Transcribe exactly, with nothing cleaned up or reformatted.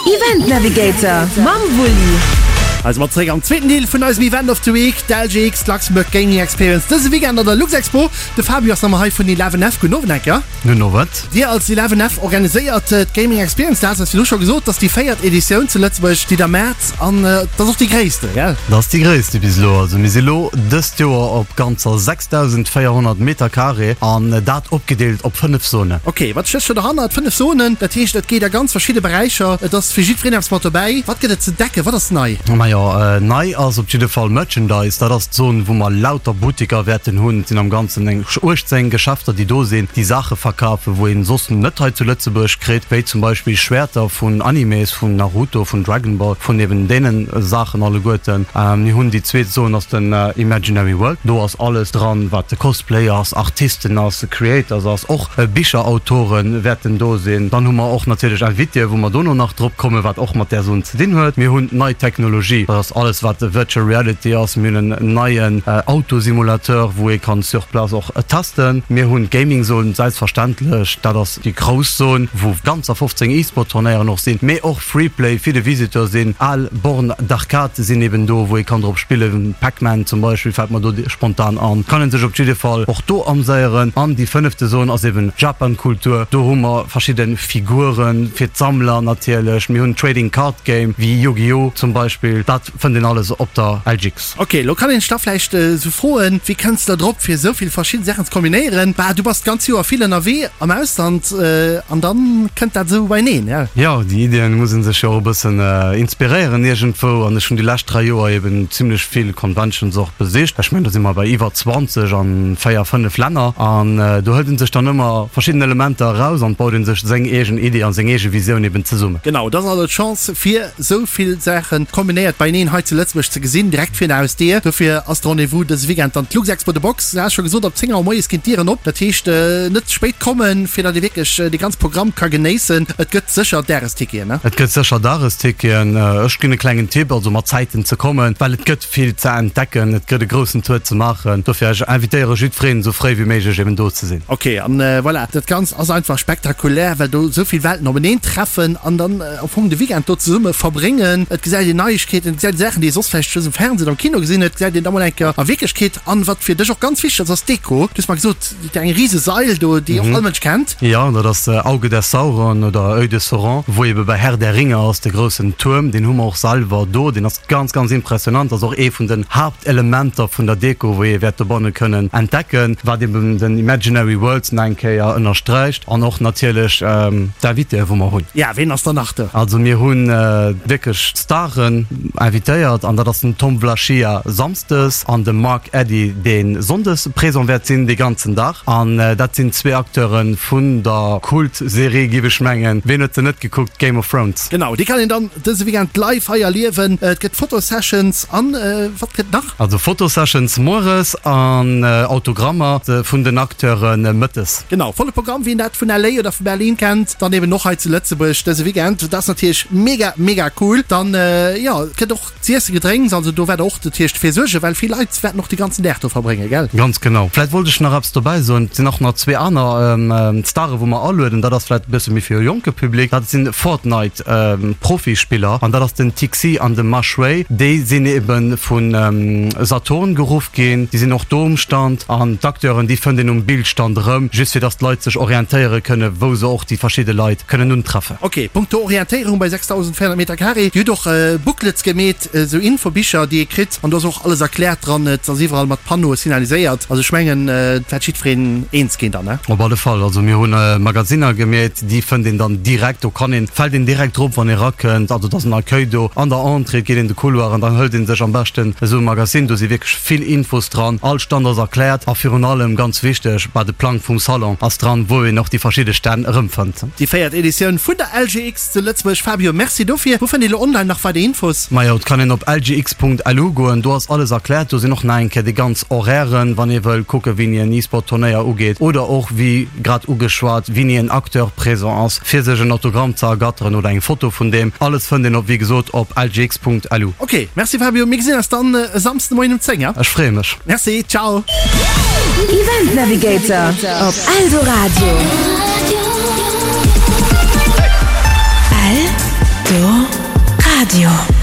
Event Navigator mam Wulli. Also mat zréck am zweeten Deel vun eisem Event of the Week, d'L G X Luxembourg Gaming Experience dëse Weekend an der Luxexpo. De Fabio ass nach mol hei vun Eleven F. Gudden Owend, Enker. Gudden Owend. Dir als Eleven F organiséiert d'Gaming Experience. Dat ass virdru scho gesot, dat ass déi véiert Editioun zu Lëtzebuerg, déi der maacht, an dat ass och déi gréisste, gell? Dat ass déi gréisste bis elo. Also mir si lo dëst Joer op ganzer sechsdausendvéierhonnert Meter Carré an dat opgedeelt op fënnef Zonen. Ok, wat stécht do derhannert? Fënnef Zonen, dat heescht et geet a ganz verschidde Beräicher, et ass fir jiddwereen eppes mat dobäi. Wat gëtt et ze entdecken? Wat ass nei? Majo, nei ass op jidde Fall Merchandise. Dat ass d'Zon, wou mer lauter Buttiker wäerten hunn. Et sinn am Ganzen eng uechtzéng Geschäfter, déi do sinn, déi Saache verkafen, wou een soss net hei zu Lëtzebuerg kritt, wéi zum Beispill Schwäerter vun Animes, vun Naruto, vun Dragon Ball, vun eben deene Saachen alleguerten. Mir hunn déi zweet Zon ass den Imaginary World. Do ass alles dran, wat de Cosplay ass, Artisten ass, Creators ass, och Bicherautore wäerten do sinn. Dann hu mer och natierlech Invitéen, wou mer dono nach drop kommen, wat och mat där Zon ze dinn huet. Mir hunn nei Technologie, dat ass alles wat Virtual Reality ass. Mir hunn en neien Autosimulateur, wou ee kann sur place och testen. Mir hunn d'Gaming Zone selbstverständlech, dat ass déi grouss Zon, wou ganzer fofzéng E-Sport-Turnéieren och sinn, mee och Freeplay fir de Visiteur sinn. Al Bornes d'Arcade sinn eben do, wou ee kann drop spillen, Pac-Man zum Beispill fält mer do spontan an. Kann ee sech op jidde Fall och do amséieren. An déi fënnefte Zon ass eben Japan-Kultur. Do hu mer verschidde Figuren fir d'Sammler natierlech. Mir hunn Trading Card Game wéi Yu-Gi-Oh! Zum Beispill. Dat fënnt een alles op der L G X. Ok, lo kann een sech da vläicht esou froen, wéi kënns de drop fir esou vill verschidden Saachen ze kombinéieren? Bah, du bass d'ganz Joer vill ënnerwee am Ausland an dann kënnt dat esou beineen, ja? Jo, déi Iddien muss een sech jo och e bëssen inspiréieren iergendwou an ech hunn déi lescht dräi Joer eben zimlech vill Conventions och besicht. Ech mengen do si mer bei iwwer zwanzeg an véier, fënnef Länner an do hëlt een sech dann ëmmer verschidden Elementer eraus an baut een sech seng eegen Iddi an seng eege Visioun eben zesummen. Genau, dat ass also d'Chance fir esou vill Saachen kombinéiert beineen hei zu Lëtzebuerg ze gesinn, direkt virun der Hausdier. Dofir ass de Rendez-vous dëse Weekend dann d'Luxexpo The Box. Du has scho gesot, ab zéng Auer moies ginn d'Dieren op. Dat heescht, net ze spéit kommen, fir datt ee wierklech dee ganz Programm ka genéissen. Et gëtt sécher Dagesticketen, ne? Et gëtt sécher Dagesticketen. Ech ginn e klengen Tipp, also mat Zäiten ze kommen, well et gëtt vill ze entdecken, et gëtt e groussen Tour ze maachen. Dofir ech invitéiere jiddwereen, esou fréi wéi méiglech eben do ze sinn. Ok, an voilà, dat Ganzt ass einfach spektakulär, well do esou vill Welten openeen treffen an dann am Fong de Weekend do zesumme verbréngen. Et gesäit een Neiegkeeten, et gesäit ee Saachen, déi ee soss vläicht just um Fernseh oder am Kino gesinn huet, gesäit een da mol eng Kéier a Wierklechkeet. An wat fir dech och ganz wichteg ass, ass d'Deko. Du hues mer gesot, déi eng rise Sail do, déi och all Mënsch kennt. Jo, dat ass Auge des Sauron oder Oeil de Sauron, wou ebe bei Herr der Ringe ass, de groussen Tuerm. Deen hu mer och selwer do. Deen ass ganz, ganz impressionant. Ass och ee vun den Haaptelementer vun der Deko, wou ee wäert dobanne kënnen entdecken, wat eben den Imaginary Worlds nach eng Kéier ënnersträicht. An och natierlech d'Invitéë wou mer hunn. Ja, ween ass dann nach do? Also mir hu wierklech Staren invitéiert an dat ass den Tom Wlaschiha samsdes an de Mark Eddy, dee sonndes présent wäert sinn dee ganzen Dag. An dat sinn zwee Acteure vun der Kult-Serie, géif ech mengen. Ween huet se net gekuckt? Game of Thrones. Genau, déi kann een dann dëse Weekend live hei erliewen. Et gëtt Fotosessions an wat gëtt nach? Also Fotosessions mueres an Autogrammer vun den Acteure mëttes. Genau, volle Programm, wien dat vun L A oder vu Berlin kennt, dann eben och hei zu Lëtzebuerg dëse Weekend. Dat ass natierlech mega, mega cool. Dann, jo, et gëtt och z'iessen, Gedrénks, also do wäert och dat heescht fir suergen, well vill Leit wäerten och de ganzen Dag do verbréngen, gell? Ganz genau. Vläit wollt ech nach eppes dobäi soen, Et sinn och nach zwee aner Stare wou mer alueden, dat ass vläit e bësse méi fir e jonke Public, dat sinn Fortnite Profispiller an dat ass den Tixi an de Mashway. Déi sinn ebe vu Saturn geruff ginn, déi sinn och do um Stand an d'Acteuren déi fënnt een um Bildstand erëm, just fir datt d'Leit sech orientéiere kënne wou se och déi verschidde Leit kënnen untreffen. Ok, punkto Orientéierung bei sechsdausendvéierhonnert Meter Carré, Dir hutt och Booklets gemeet, esou Infobicher déi ee kritt an do ass och alles erkläert dran, et ass iwwerall mat Panneaue signaliséiert, also ech mengen et wäert jiddwereen eens ginn dann, ne? Op alle Fall, also mir hunn Magasinner gemeet, déi fënnt een dann direkt, do kann een, fält een direkt drop wann ee rakënnt, also et ass en Accueil do an der Entrée, et geet een de Couloir an dann hëlt ee sech am beschten esou e Magazine, do si wierklech vill Infos dran, all Stand ass erkläert a virun allem, ganz wichteg, bah de Plang vum Salon ass dran, wou een och déi verschidde Stänn erëmfënnt. Déi véiert Editioun vun der L G X zu Lëtzebuerg. Fabio, merci dofir. Wou fënnt ee lo online nach weider Infos? Majo, et kann een op L G X Punkt L U goen, do ass alles erkläert. Do sinn och nach eng Kéier déi ganz Horairen, wann ee wëll kucken, wéini en E-Sport-Turnéier ugeet oder och, wéi grad ugeschwat, wéini en Acteur présent ass, fir sech en Autogramm ze ergatteren oder eng Foto vun deem. Alles fënnt een op, wéi gesot, op L G X Punkt L U. Ok, merci Fabio, mir gesinn eis dann e Samsden de Moien um zéng, ja? Ech freeë mech. Merci, ciao. Event Navigator op Eldoradio. Radio.